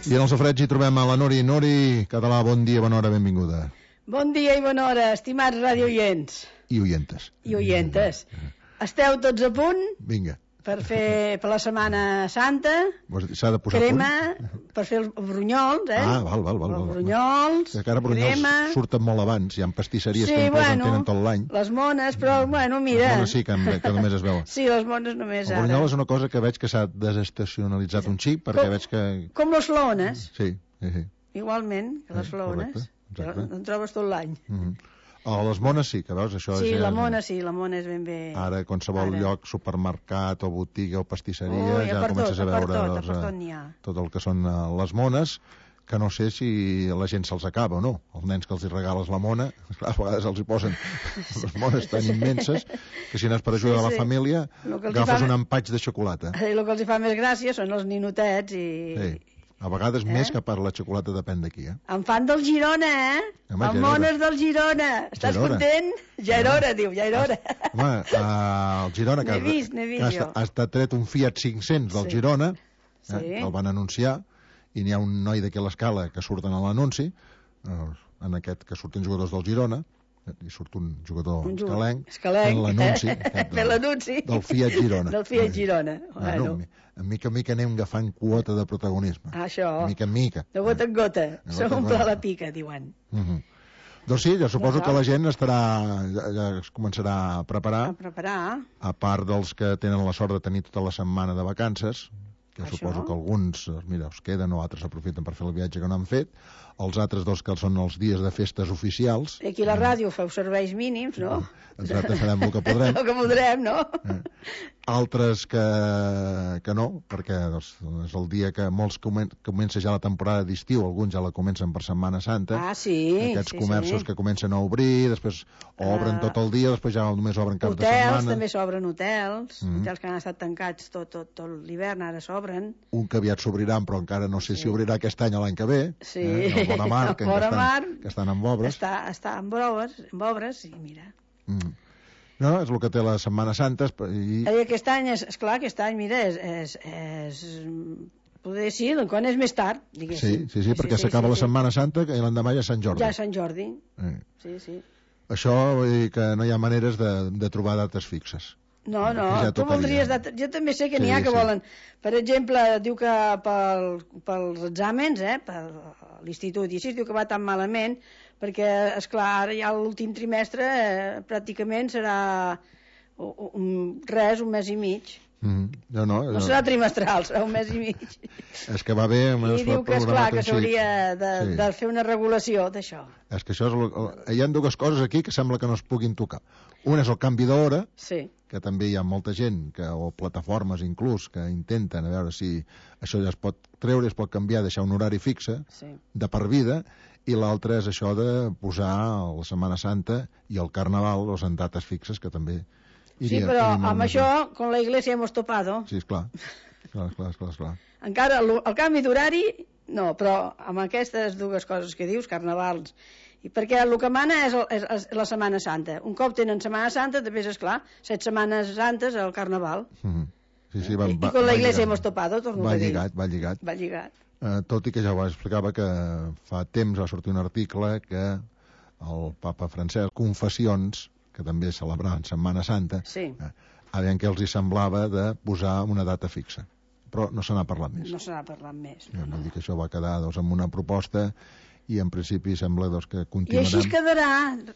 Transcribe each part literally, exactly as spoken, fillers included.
I en el sofreig hi trobem a la Nuri. Nuri, català, bon dia, bona hora, benvinguda. Bon dia i bona hora, estimats radioients. I oientes. I oientes. Esteu tots a punt? Vinga. Per fer per la Setmana Santa. S'ha de posar crema, punt? per fer els brunyols, eh? Ah, val, val, val. Els brunyols, que encara brunyols crema... surten molt abans. Hi ha pastisseries sí, que inclús bueno, en tenen tot l'any. Les mones, però, bueno, mira... Les mones sí, que, que només es veuen. Sí, les mones només el ara. El brunyol és una cosa que veig que s'ha desestacionalitzat un xic, perquè com, veig que... Com les flaones. Sí, sí, sí. Igualment que les flaones. Correcte, en trobes tot l'any. Mm -hmm. A les mones sí, que veus, això sí, és... Sí, la mona sí, la mona és ben bé... Ara, qualsevol ara. lloc, supermercat o botiga o pastisseria, oh, ja, ja comences tot, a veure tot, doncs, tot, tot el que són uh, les mones, que no sé si la gent se'ls acaba o no. Els nens que els hi regales la mona, a vegades els hi posen les mones tan immenses que si n'has per ajuda sí, sí. a la família agafes fa... un empatx de xocolata. I el que els hi fa més gràcia són els ninotets i... Sí. A vegades eh? més que per la xocolata depèn d'aquí, eh? En fan del Girona, eh? Home, el mones del Girona. Estàs Gerona. content? Ja era hora, diu, ja era hora. Home, uh, el Girona, que, vist, vist, que ha, ha estat tret un Fiat cinc-cents del sí. Girona, sí. eh, que el van anunciar, i n'hi ha un noi d'aquí a l'escala que surten a l'anunci, uh, en aquest que surten jugadors del Girona, i surt un jugador un escalenc, escalenc. en l'anunci del, del Fiat Girona. Del Fiat Girona. Bueno, bueno. A mica en mica anem agafant quota de protagonisme. Ah, això. A mica en mica. De gota en gota. S'omple la pica, diuen. Uh -huh. Doncs sí, jo suposo no, que la gent estarà, ja, ja es començarà a preparar. A preparar. A part dels que tenen la sort de tenir tota la setmana de vacances, que Això. suposo que alguns, mira, us queden o altres aprofiten per fer el viatge que no han fet. Els altres dos que són els dies de festes oficials. I aquí a la ràdio feu serveis mínims, no? Exacte, farem el que podrem. El que podrem, no? Eh. Altres que, que no, perquè doncs, és el dia que molts comen comença ja la temporada d'estiu, alguns ja la comencen per Setmana Santa. Ah, sí. Aquests sí, comerços sí. que comencen a obrir, després obren uh, tot el dia, després ja només obren cap hotels, de setmana. Hotels, també s'obren hotels, mm -hmm. hotels que han estat tancats tot, tot, tot l'hivern, ara s'obren. Un que aviat s'obriran, però encara no sé sí. si obrirà aquest any o l'any que ve. Sí. Eh? El Vora Mar, que, el Vora estan, Mar que estan amb obres. Està, està amb obres, amb obres, i mira. Mm. No, és el que té la Setmana Santa. I... I aquest any, és, esclar, aquest any, mira, és... és, és poder sí, quan és més tard, diguéssim. Sí, sí, sí, perquè sí, s'acaba sí, la sí. Setmana Santa i l'endemà ja és Sant Jordi. Ja és Sant Jordi, eh. sí, sí. Això vol dir que no hi ha maneres de, de trobar dates fixes. No, no, ja tu voldries... Dates... Jo també sé que n'hi sí, ha que sí. volen... Per exemple, diu que pel, pels exàmens, eh, per l'institut, i així diu que va tan malament, perquè, esclar, ara ja l'últim trimestre eh, pràcticament serà un, res, un mes i mig. Mm, no, no, no, no serà trimestral, serà un mes i mig. És que va bé... I diu que, esclar, que s'hauria de, sí. de fer una regulació d'això. És que això és... Hi ha dues coses aquí que sembla que no es puguin tocar. Una és el canvi d'hora, sí. que també hi ha molta gent, que, o plataformes inclús, que intenten a veure si això ja es pot treure, es pot canviar, deixar un horari fixe, sí. de per vida, i l'altre és això de posar la Setmana Santa i el Carnaval, o en dates fixes, que també... Iria, sí, però amb això, con la iglesia hemos topado. Sí, esclar. Esclar, esclar, esclar, esclar. Encara el, el canvi d'horari, no, però amb aquestes dues coses que dius, carnavals, i perquè el que mana és, el, és, és la Setmana Santa. Un cop tenen Setmana Santa, després, esclar, set setmanes santes al Carnaval. Mm -hmm. Sí, sí, va, I, va, i con la iglesia hemos topado, torno va a dir. Lligat, va lligat, va lligat. Uh, tot i que ja ho explicava que fa temps va sortir un article que el papa Francesc, Confessions, que també celebraven Setmana Santa, sí. eh, a veure què els hi semblava de posar una data fixa. Però no se n'ha parlat més. No se n'ha parlat més. Ja, vull dir que això va quedar doncs, amb una proposta i en principi sembla doncs, que continuarem... I així es quedarà.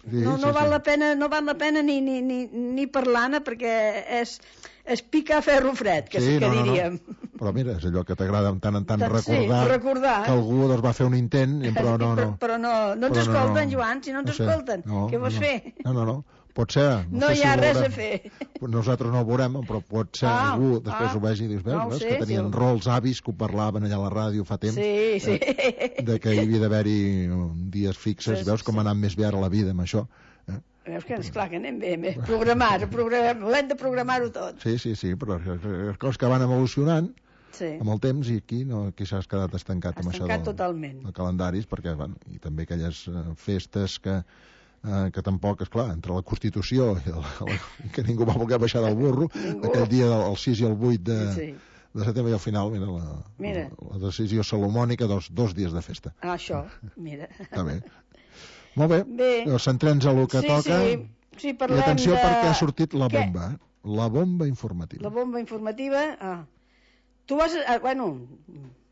Sí, no, no, sí, val sí. La pena, no val la pena ni, ni, ni, ni parlar-ne perquè és, és picar ferro fred, que, sí, que no, diríem. No, no. Però mira, és allò que t'agrada tant en tant, tant recordar, sí, recordar que algú doncs, va fer un intent, però no... no. Però, però no, no ens però escolten, no, no. Joan, si no ens no sé, escolten, no, què vols no, fer? No, no, no. Pot ser. No, no sé hi si ha res veurem. a fer. Nosaltres no ho veurem, però pot ser ah, algú, després ah, ho vegi i dius, veus, no veus sé, que tenien sí. rols avis que ho parlaven allà a la ràdio fa temps, sí, sí. Eh, de que hi havia d'haver-hi dies fixes, sí, veus com sí. ha anat més bé ara la vida amb això. Eh? Veus que, esclar, que anem bé, bé. Programar, programar, ho hem de programar-ho tot. Sí, sí, sí, però les coses que van evolucionant sí. amb el temps, i aquí no, aquí s'ha quedat estancat Has amb això del, totalment. De calendaris, perquè, bueno, i també aquelles uh, festes que Uh, que tampoc, esclar, entre la Constitució i, el, el, que ningú va voler baixar del burro, aquell dia del sis i el vuit de, sí. de setembre i al final, mira, la, mira. la, la decisió salomònica, dos, dos dies de festa. Ah, això, mira. Està bé. Molt bé, bé. Centrem-nos a el que sí, toca. Sí, sí, parlem I atenció de... perquè ha sortit la Què? bomba, eh? La bomba informativa. La bomba informativa, ah. Tu vas, a, bueno,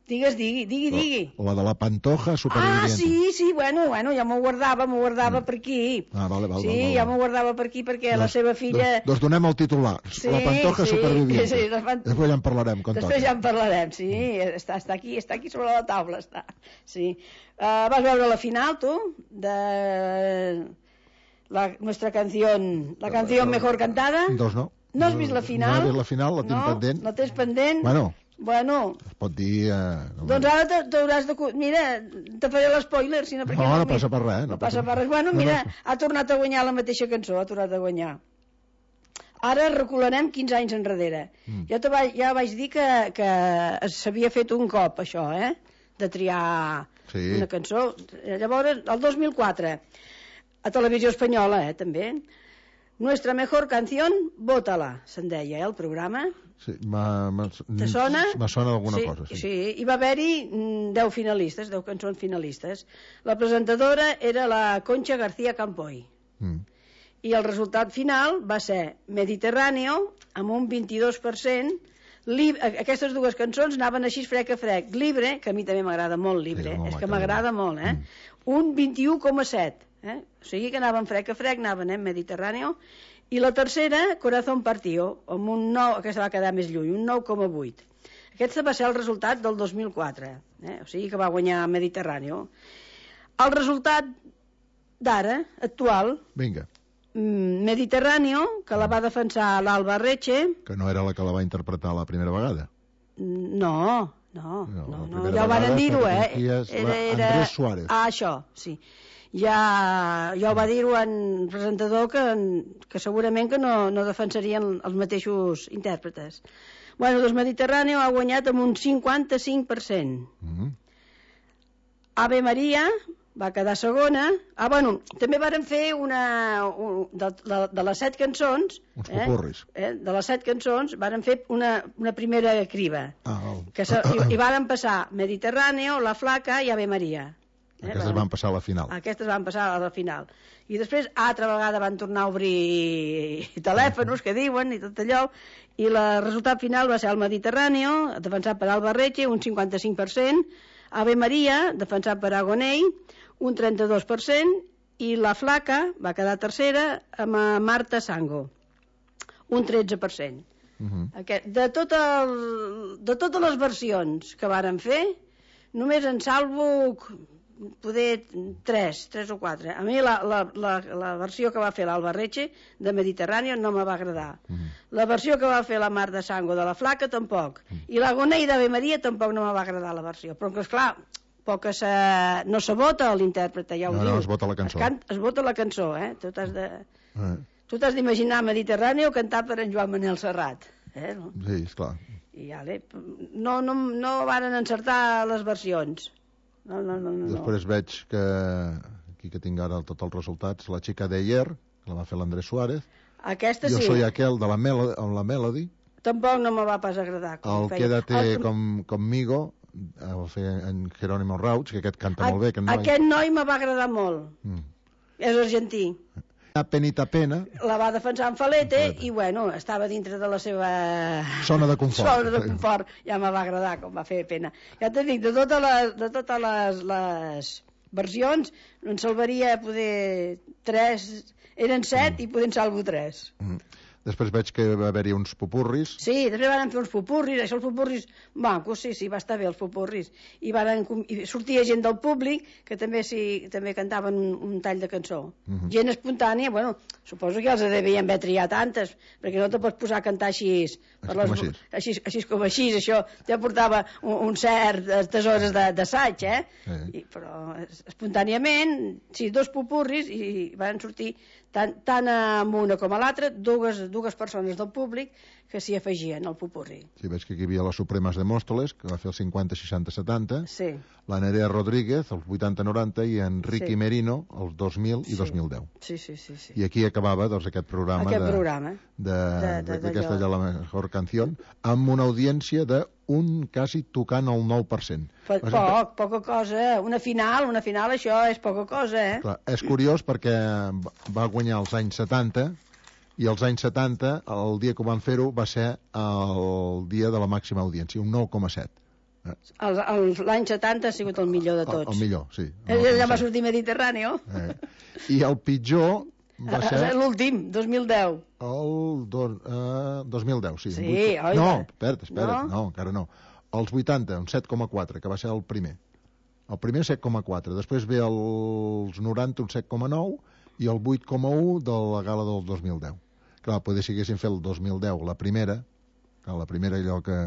digues, digui, digui, digui. La, la de la Pantoja superviviente. Ah, sí, sí, bueno, bueno, ja m'ho guardava, m'ho guardava mm. per aquí. Ah, vale, vale. Sí, vale, vale. ja m'ho guardava per aquí perquè dos, la seva filla... Dos, dos donem el titular, sí, la Pantoja sí, superviviente. Sí, la Pant... Després ja en parlarem, quan Després toqui. ja en parlarem, sí, mm. està, està, aquí, està aquí sobre la taula, està. Sí. Uh, vas veure la final, tu, de la nuestra canción, la canción mejor cantada? Dos no. No has vist la final? No he vist la final, la tinc no, pendent. No tens pendent? Bueno, bueno. es pot dir... Eh, doncs ara t'hauràs de... Mira, te faré l'espoiler, si no... No, no, no passa per res. No, no passa per res. Bueno, mira, no, no. ha tornat a guanyar la mateixa cançó, ha tornat a guanyar. Ara recularem quinze anys enrere. Mm. Jo te va, ja vaig dir que, que s'havia fet un cop, això, eh? De triar sí. una cançó. Llavors, el dos mil quatre, a Televisió Espanyola, eh, també... Nuestra mejor canción, vótala, se'n deia, eh, el programa. Sí, me sona? sona d'alguna sí, cosa, sí. Sí, hi va haver-hi deu finalistes, deu cançons finalistes. La presentadora era la Concha García Campoy. Mm. I el resultat final va ser Mediterráneo, amb un vint-i-dos per cent. Lib... Aquestes dues cançons anaven així frec a frec. Libre, que a mi també m'agrada molt, Libre, sí, és que m'agrada molt, eh? Mm. Un vint-i-u coma set. Eh? O sigui que anaven frec a frec, anaven, eh, Mediterráneo, i la tercera, Corazón Partido, amb un nou, aquesta va quedar més lluny, un nou coma vuit. Aquest va ser el resultat del dos mil quatre, eh? O sigui que va guanyar Mediterráneo. El resultat d'ara, actual, vinga, Mediterráneo, que la va defensar l'Alba Reche, que no era la que la va interpretar la primera vegada. No, no, no, no, no ja ho van dir-ho, eh? Era, era... Andrés Suárez. Ah, això, sí. Ja, ja ho va dir-ho en presentador que, que segurament que no, no defensarien els mateixos intèrpretes. Bueno, doncs Mediterráneo ha guanyat amb un cinquanta-cinc per cent. Mm-hmm. Ave Maria va quedar segona. Ah, bueno, també varen fer una... Un, de, de, de les set cançons... Uns popurris. Eh, de les set cançons varen fer una, una primera criba. Ah, oh. que se, i, I varen passar Mediterráneo, La Flaca i Ave Maria. Eh, aquestes van passar a la final. Aquestes van passar a la final. I després, altra vegada, van tornar a obrir telèfons, que diuen, i tot allò, i el resultat final va ser el Mediterráneo, defensat per Alba Reche, un cinquanta-cinc per cent, Ave Maria, defensat per Agoney, un trenta-dos per cent, i La Flaca va quedar tercera amb Marta Sango, un tretze per cent. Uh-huh. Aquest, de, tot el, de totes les versions que varen fer, només en salvo... poder tres, tres o quatre. A mi la, la, la, la versió que va fer l'Alba Reche de Mediterráneo no me va agradar. Mm. La versió que va fer la Marta Sango de La Flaca tampoc. Mm. I la Gonei d'Ave Maria tampoc no me va agradar la versió. Però que esclar, poc que se... no se vota l'intèrprete, ja ho no, diu. No, es vota la cançó. Es, can... es vota la cançó, eh? Tu t'has de... Eh. Tu t'has d'imaginar Mediterráneo cantat per en Joan Manel Serrat. Eh? No? Sí, esclar. I ale, no, no, no varen encertar les versions. No, no, no, no. Després veig que aquí que tinc ara tots els resultats, la xica de ayer, que la va fer l'Andrés Suárez. Aquesta jo sí. Jo soy aquel de la Melody, amb la Melody. Tampoc no me va pas agradar. El Quédate el... com, conmigo, el va fer en Jerónimo Rauch, que aquest canta a, molt bé. Aquest noi, aquest noi me va agradar molt. Mm. És argentí. Penita pena. La va defensar en Falete i, bueno, estava dintre de la seva... Zona de confort. Zona de confort. Ja me va agradar com va fer pena. Ja t'he dit, de totes les, de totes les, les versions, en salvaria poder tres... Eren set mm. i poder en salvo tres. Mm. Després veig que va haver-hi uns popurris. Sí, després van fer uns popurris, això els popurris mancos, sí, sí, va estar bé els popurris. I, van, i sortia gent del públic que també sí, també cantaven un, un tall de cançó. Uh -huh. Gent espontània, bueno, suposo que els devien haver triat tantes, perquè no te pots posar a cantar així, per les, així. Així, així com així, això ja portava un, un cert hores d'assaig, eh? Sí. I, però espontàniament, sí, dos popurris i van sortir tant, tant amb una com a l'altra, dues, dues persones del públic que s'hi afegien al popurrí. Sí, veig que aquí hi havia les Supremes de Móstoles, que va fer el cinquanta, seixanta, setanta, sí. la Nerea Rodríguez, els vuitanta, noranta, i en Ricky sí. Merino, els dos mil i sí. dos mil deu. Sí, sí, sí, sí. I aquí acabava doncs, aquest programa, aquest de, programa. d'aquesta de la mejor canción, amb una audiència de un quasi tocant el nou per cent. Poc, poc, poca cosa. Una final, una final, això és poca cosa, eh? Clar, és curiós perquè va guanyar els anys setanta, i als anys setanta, el dia que van fer-ho va ser el dia de la màxima audiència, un nou coma set. L'any setanta ha sigut el millor de tots. El, el millor, sí. Ell va sortir Mediterrani. Eh. I el pitjor va ser... L'últim, dos mil deu. El do, uh, dos mil deu, sí. Sí, vuit... oi? No, espera't, espera't, no? no, encara no. Els vuitanta, un set coma quatre, que va ser el primer. El primer set coma quatre, després ve els noranta, un set coma nou, i el vuit coma u de la gala del dos mil deu. Clar, potser si haguessin fet el dos mil deu la primera, clar, la primera allò que...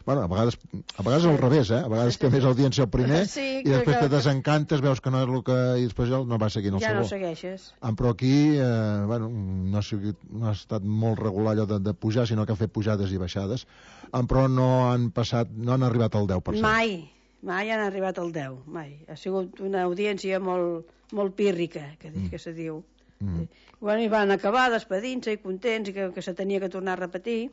Bueno, a vegades, a vegades al revés, eh? A vegades té més audiència el primer sí, i després que... te desencantes, veus que no és el que... I després no va seguint el ja segon. Ja no segueixes. Ah, però aquí, eh, bueno, no ha, sigut, no ha estat molt regular allò de, de pujar, sinó que han fet pujades i baixades, ah, però no han passat, no han arribat al deu per cent. Mai, mai han arribat al deu, mai. Ha sigut una audiència molt, molt pírrica, que, mm. que se diu. Mm. Bueno, i van acabar despedint-se i contents i que, que se tenia que tornar a repetir.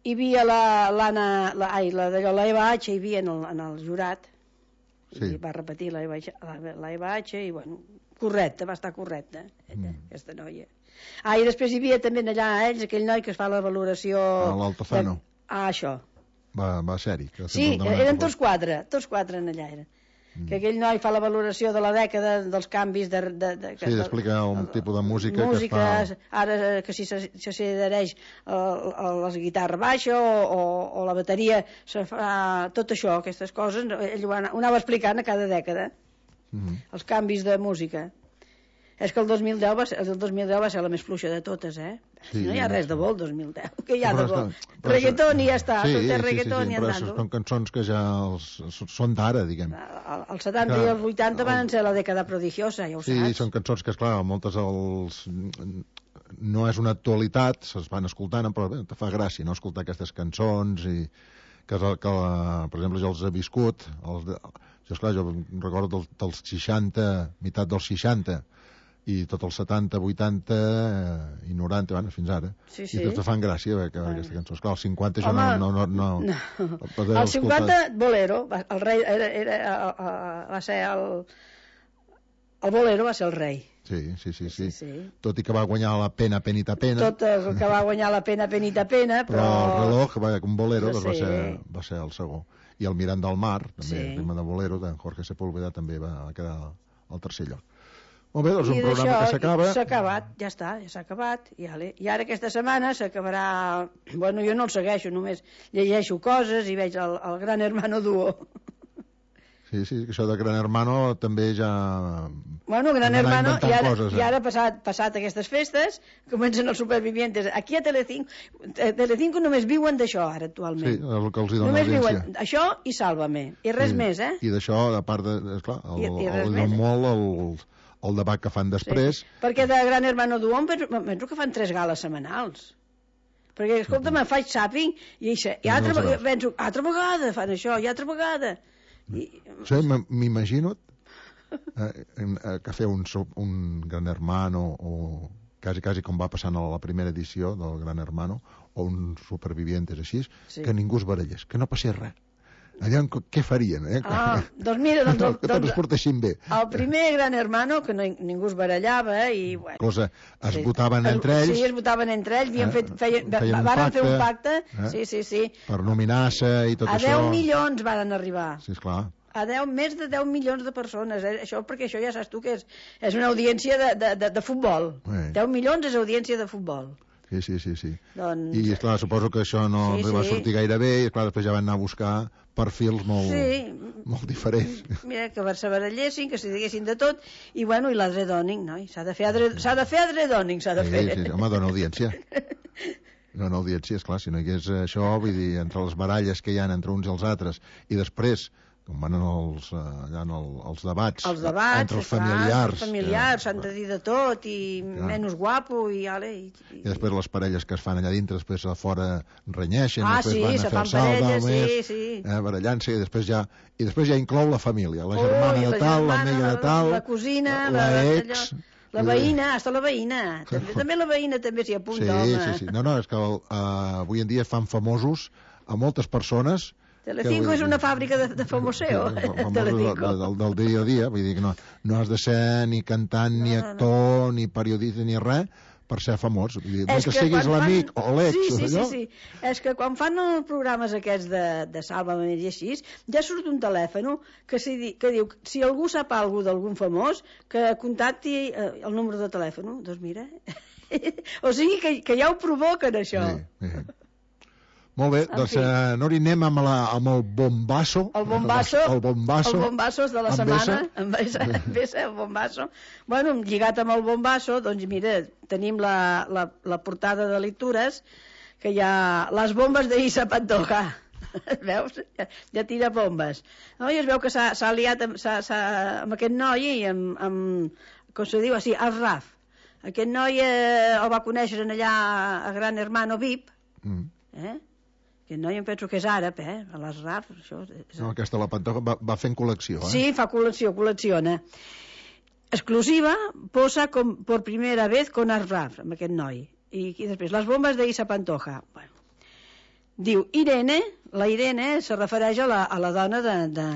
Hi havia l'Anna, la, ai, la, la Eva H, hi havia en el, en el jurat, sí. I va repetir la Eva, la, la Eva H, i bueno, correcte, va estar correcta, mm. aquesta noia. Ah, i després hi havia també allà ells, aquell noi que es fa la valoració... L'Altozano. De... Ah, això. Va, va ser-hi. Sí, eren tots quatre, tots quatre en allà eren. Mm. Que aquell noi fa la valoració de la dècada dels canvis de... de, de sí, d'explicar un tipus de música, música que es fa... Ara que si s'adhereix a, a la guitarra baixa o, o, o la bateria, se fa tot això, aquestes coses, ell ho anava explicant a cada dècada, mm. els canvis de música. És que el dos mil deu va ser, el dos mil deu va ser la més fluixa de totes, eh? Sí, no hi ha res de bo el dos mil deu. Què hi ha de bo? Reggaeton i ja està, sí, tot és sí, reggaeton sí, sí, i però andando. són cançons que ja els, són d'ara, diguem. Els setanta que, i els vuitanta van ser la dècada prodigiosa, ja ho sí, saps. Sí, són cançons que, esclar, moltes els... no és una actualitat, se'ls van escoltant, però bé, te fa gràcia, no?, escoltar aquestes cançons i que, que per exemple, jo els he viscut, els de... jo, esclar, jo recordo dels, dels seixanta, meitat dels seixanta, i tot els setanta, vuitanta eh, i noranta, bueno, fins ara. Sí, sí. I tots fan gràcia eh, que bueno. Aquesta cançó. Esclar, el cinquanta jo no... no, no, no, no. El cinquanta, Bolero, el rei era, era, era, va ser el... El Bolero va ser el rei. Sí, sí, sí, sí. sí, sí. Tot i que va guanyar la pena, penita, pena. Tot el que va guanyar la pena, penita, pena, però... Però el reloj, va, un Bolero, doncs va, ser, va ser el segon. I el Mirant del Mar, també, sí. El ritme de Bolero, de Jorge Sepúlveda, també va quedar al tercer lloc. Molt bé, doncs un programa que s'acaba. S'ha acabat, ja està, ja s'ha acabat. I, ale. I ara aquesta setmana s'acabarà... Bueno, jo no el segueixo, només llegeixo coses i veig el, el Gran Hermano Duo. Sí, sí, això de Gran Hermano també ja... Bueno, Gran Hermano, i ara, coses, eh? i ara passat, passat aquestes festes, comencen els supervivientes. Aquí a Telecinco, a Telecinco només viuen d'això ara, actualment. Sí, el que els hi dona només audiència. Viuen això i Sálvame, i res sí. més, eh? I d'això, a part de... Esclar, el, I, i el, el molt... El, el debat que fan després... Sí. Perquè de Gran Hermano Duo penso, penso que fan tres gales setmanals. Perquè, escolta, me'n faig zapping i, això, i altra, no penso, altra vegada fan això, i altra vegada. I... Sí, m'imagino eh, eh, que fer un, un Gran Hermano o quasi, quasi com va passant a la primera edició del Gran Hermano o un Supervivientes així, sí. Que ningú es barallés, que no passés res. Allà, què farien, eh? Ah, doncs mira, doncs... El, que tots es portessin bé. El primer Gran Hermano, que no, ningú es barallava, i... Bueno, cosa, es sí, votaven es, entre ells... Sí, es votaven entre ells, havien eh, fet, feien, feien un varen pacte, fer un pacte, eh, sí, sí, sí. Per nominar-se i tot a això... A deu milions varen arribar. Sí, esclar. A deu, més de deu milions de persones, eh? Això, perquè això ja saps tu que és, és una audiència de, de, de, de futbol. Eh. deu milions és audiència de futbol. Sí, sí, sí, sí. Doncs... I, esclar, suposo que això no sí, va sí. sortir gaire bé, i, esclar, després ja van anar a buscar perfils molt, sí. molt diferents. Mira, que se barallessin, que se diguessin de tot, i bueno, i l'adredòning, no? S'ha de fer adre... s'ha de fer adredòning, s'ha de fer. Sí, sí, home, dona audiència. Dona audiència, esclar, si no hi hagués això, vull dir, entre les baralles que hi ha entre uns i els altres, i després com van els, allà en el, els debats, els debats entre els familiars. Els familiars s'han de dir de tot, i clar. Menys guapo, i ale... I, i... I després les parelles que es fan allà dintre, després a fora renyeixen, ah, després sí, van a fer el salt, parelles, més, sí, sí. Eh, barallant-se, i després ja, i després ja inclou la família, la germana oh, de tal, l'amiga de tal, la cosina, la, la ex... La veïna, hasta la veïna. També, també la veïna també s'hi apunta, sí, home. Sí, sí, no, no, és que uh, avui en dia fan famosos a moltes persones. Telecinco que, és una fàbrica de, de famoseo. Telecinco. Del, del, del dia a dia, vull dir que no, no has de ser ni cantant, no, ni actor, no, no. ni periodista, ni res, per ser famós. Vull dir, que, que siguis l'amic fan... o l'ex. Sí, sí, sí, sí. És que quan fan els programes aquests de, de Sálvame i així, ja surt un telèfon que, si, que diu, si algú sap alguna d'algun famós, que contacti eh, el número de telèfon. Doncs mira, o sigui que, que ja ho provoquen, això. Sí, sí. Molt bé, en doncs uh, Nori, anem amb, la, amb el bombasso. El bombasso. El bombasso. El bombasso de la setmana. En Bessa, en Bessa, el bombasso. Bueno, lligat amb el bombasso, doncs mira, tenim la, la, la portada de lectures, que hi ha les bombes d'Isa Pantoja. Veus? Ja, ja tira bombes. No? I es veu que s'ha aliat amb, s ha, s ha, amb aquest noi i amb, amb, com se diu, així, el Raf. Aquest noi eh, el va conèixer allà a Gran Hermano V I P. Mm. Eh? Aquest noi em penso que és àrab, eh? A les Raf, això... És... No, aquesta la Pantoja va, va fent col·lecció, eh? Sí, fa col·lecció, col·lecciona. Exclusiva, posa com por primera vez con Raf, amb aquest noi. I, i després, les bombes d'Isa Pantoja. Bueno. Diu, Irene, la Irene se refereix a la, a la dona de, de,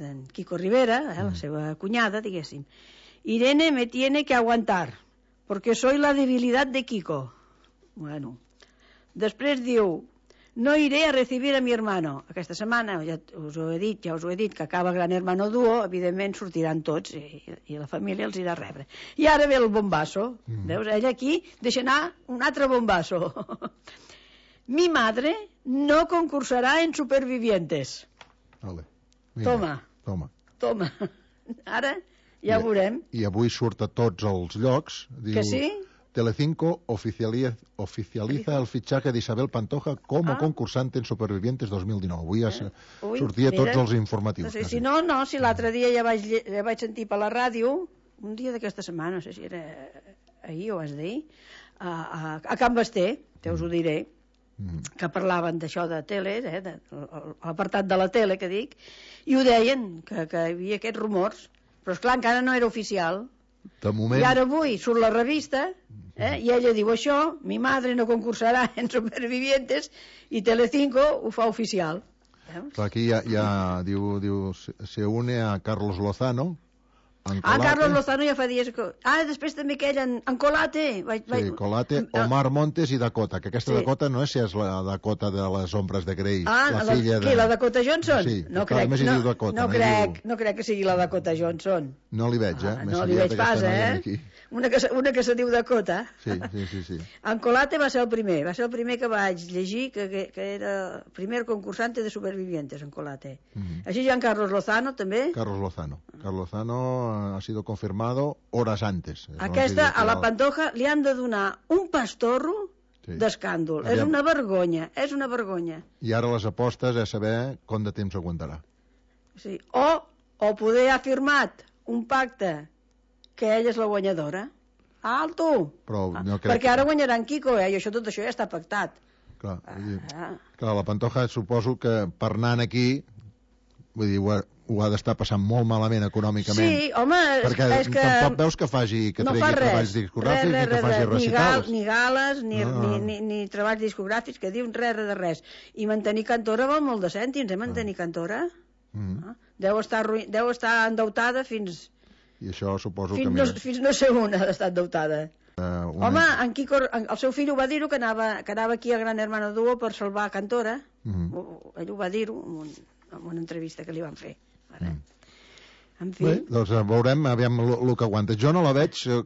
de Kiko Rivera, eh? La seva cunyada, diguéssim. Irene me tiene que aguantar, porque soy la debilidad de Kiko. Bueno. Després diu, no iré a recibir a mi hermano. Aquesta setmana, ja us ho he dit, ja us ho he dit, que acaba Gran Hermano Duo, evidentment sortiran tots i, i la família els irà a rebre. I ara ve el bombasso. Mm. Veus? Ella aquí deixa anar un altre bombasso. Mi madre no concursarà en Supervivientes. Vale. Toma. Toma. Toma. Ara ja I, veurem. I avui surt a tots els llocs. Diu... Que sí? Telecinco oficializa, oficializa el fichaje de Isabel Pantoja como ah. concursante en Supervivientes dos mil dinou. Avui ja eh? Ui, sortia mira, tots els informatius. No sé, si no, no, si l'altre dia ja vaig, ja vaig sentir per la ràdio, un dia d'aquesta setmana, no sé si era ahir o és d'ahir, a, a, a Can Basté, te us ho diré, mm. que parlaven d'això de tele, eh, de, l'apartat de la tele que dic, i ho deien, que, que hi havia aquests rumors, però esclar, encara no era oficial. De moment... I ara avui surt la revista, eh, i ella diu això, mi madre no concursarà en Supervivientes, i Telecinco ho fa oficial. Veus? Aquí ja, ja diu, diu, se une a Carlos Lozano. Ah, Carlos Lozano ja fa dies que... Ah, després també aquell en, en Colate. Vaig, sí, vaig... Colate, Omar Montes i Dakota, que aquesta sí. Dakota no és si és la Dakota de les ombres de Grey, ah, la, la filla de... Qui, la Dakota Johnson? Sí, no crec, no, Dakota, no, no, crec, diu... no crec que sigui la Dakota Johnson. No li veig, eh? Ah, no li veig pas, eh? Una que, una que se diu Dakota. Sí, sí, sí, sí. En Colate va ser el primer, va ser el primer que vaig llegir, que, que, que era el primer concursante de Supervivientes, en Colate. Mm -hmm. Així Jean Carlos Lozano, també. Carlos Lozano. Carlos Lozano ha sido confirmado horas antes. Aquesta, a la Pantoja, li han de donar un pastorro sí. d'escàndol. És una vergonya, és una vergonya. I ara les apostes és saber com de temps aguantarà. Sí. O, o poder ha firmat un pacte que ella és la guanyadora. Alto! Però no crec... Perquè ara guanyarà en Kiko, eh? I això, tot això ja està pactat. Clar, ah. clar, la Pantoja suposo que per anar aquí, vull dir, ho ha, ho ha d'estar passant molt malament econòmicament. Sí, home, perquè és que... tampoc veus que faci, que no tregui fa treballs discogràfics, res, res, ni que faci res, recitals. Ni, gal, ni gales, ni, no. ni, ni, ni treballs discogràfics, que diuen res, res de res. I mantenir cantora val molt de cèntims, eh, mantenir ah. cantora. Mm. Ah. Deu, estar, deu estar endeutada fins... I això suposo fins que... No, més... Fins no sé on ha d'estar endeutada. Uh, una... Home, en Kiko, en, el seu fill ho va dir-ho, que, anava, que anava aquí a Gran Hermano Duo per salvar Cantora. Uh -huh. Ell ho va dir-ho en, un, en una entrevista que li van fer. Ara. Mm. En fi. Bé, doncs veurem, aviam el que aguanta. Jo no la veig eh,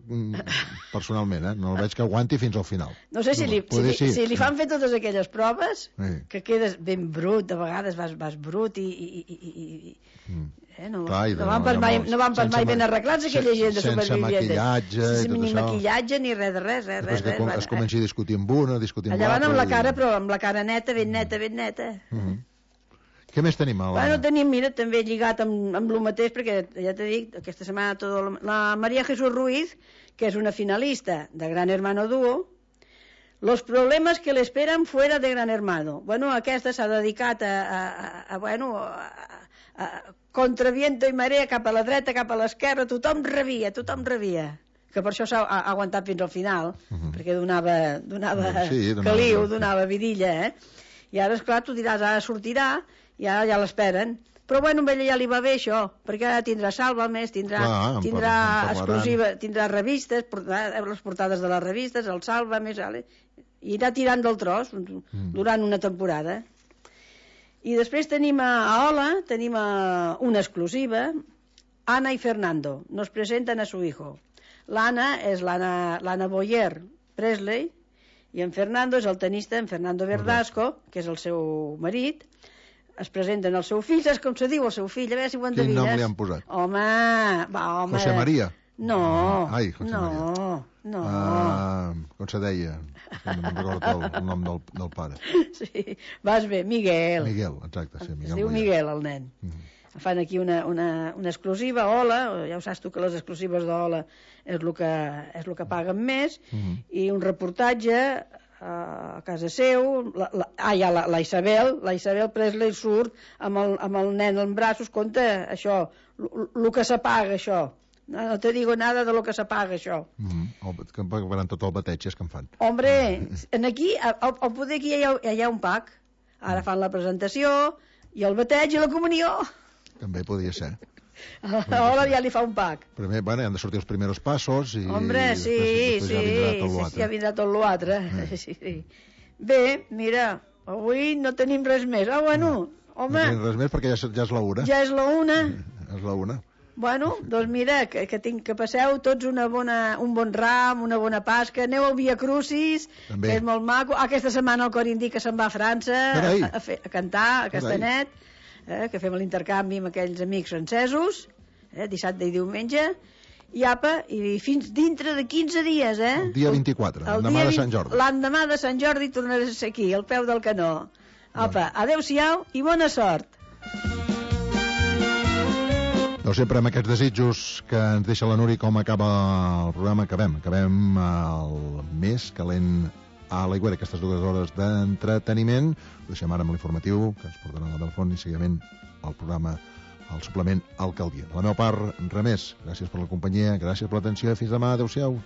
personalment, eh? No la veig que aguanti fins al final. No sé si li, si li, si li fan fer totes aquelles proves, sí. que quedes ben brut, de vegades vas, vas brut i... i, i, i mm. Eh, no, Clar, no, van pas mai, no van pas mai ben arreglats aquella gent de Supervivientes. Sense maquillatge sense i tot ni això. Ni maquillatge ni res de res. res, res, res que res, es comenci a discutir amb una, a discutir amb l'altra. Allà van amb la cara, i... però amb la cara neta, ben neta, ben neta. Uh -huh. Què més tenim? A la... Bueno, tenim, mira, també lligat amb, amb el mateix, perquè ja t'he dit, aquesta setmana tot, la María Jesús Ruiz, que és una finalista de Gran Hermano Dúo, los problemas que le esperan fuera de Gran Hermano. Bueno, aquesta s'ha dedicat a, a, a, a bueno, a, a, contra viento i marea, cap a la dreta, cap a l'esquerra, tothom rebia, tothom rebia. Que per això s'ha aguantat fins al final, uh -huh. perquè donava, donava sí, donava caliu, donava vidilla, eh? I ara, esclar, tu diràs, ara sortirà, i ara ja l'esperen. Però bueno, a ella ja li va bé això, perquè ara tindrà Sálvame, tindrà, Clar, tindrà exclusiva, tindrà revistes, les portades de les revistes, el Sálvame, i irà tirant del tros mm. durant una temporada. I després tenim a Hola, tenim a una exclusiva, Ana y Fernando, nos presentan a su hijo. L'Anna és l'Anna Boyer Presley, i en Fernando és el tenista, en Fernando Verdasco, que és el seu marit. Es presenten el seu fill, saps com se diu el seu fill? A veure si ho endevines. Quin nom li han posat? Home, va, home... José María? No, Ai, José no, María. no. Uh, com se deia? No me'n recordo el, el nom del, del pare. Sí, vas bé, Miguel. Miguel, exacte, sí, Miguel. Es diu Miguel, el nen. Mm -hmm. Fan aquí una, una, una exclusiva, Hola, ja ho saps tu que les exclusives d'Hola és el que, és el que paguen més, mm -hmm. i un reportatge a casa seu, la, la, ah, ja, la, la Isabel, la Isabel Presley surt amb el, amb el nen en braços, conta això, el que s'apaga això. No, no te digo nada de lo que s'apaga això. Mm -hmm. Que pagaran tot el bateig, és que en fan. Hombre, en aquí, al, al poder aquí hi ha, hi ha un pack. Ara fan la presentació, i el bateig i la comunió. També podia ser. Hola, ja li fa un pack. Primer, bueno, han de sortir els primers passos i... Hombre, sí, després, després sí, ja vindrà tot l'altre. sí, ja vindrà tot l'altre. Eh. Sí, sí. Bé, mira, avui no tenim res més. Ah, bueno, no, home... No tenim res més perquè ja, ja és la una. Ja és la una. És la una. Bueno, doncs mira, que, que, tinc, que passeu tots una bona, un bon ram, una bona Pasca, aneu al Via Crucis, També. que és molt maco. Aquesta setmana el cor indica que se'n va a França a, a, fer, a cantar a Castanet, eh, que fem l'intercanvi amb aquells amics francesos, eh, dissabte i diumenge, i apa, i fins dintre de quinze dies, eh? El dia vint-i-quatre, l'endemà de Sant Jordi. L'endemà de Sant Jordi tornaràs a ser aquí, al peu del canó. Apa, adeu-siau i bona sort. Doncs sempre amb aquests desitjos que ens deixa la Núria, com acaba el programa, acabem. Acabem el més calent a l'Aigüera, aquestes dues hores d'entreteniment. Ho deixem ara amb l'informatiu, que ens portarà la telefon i seguidament el programa, el suplement Alcaldia. De la meva part, res més. Gràcies per la companyia, gràcies per l'atenció i fins demà. Adéu-siau.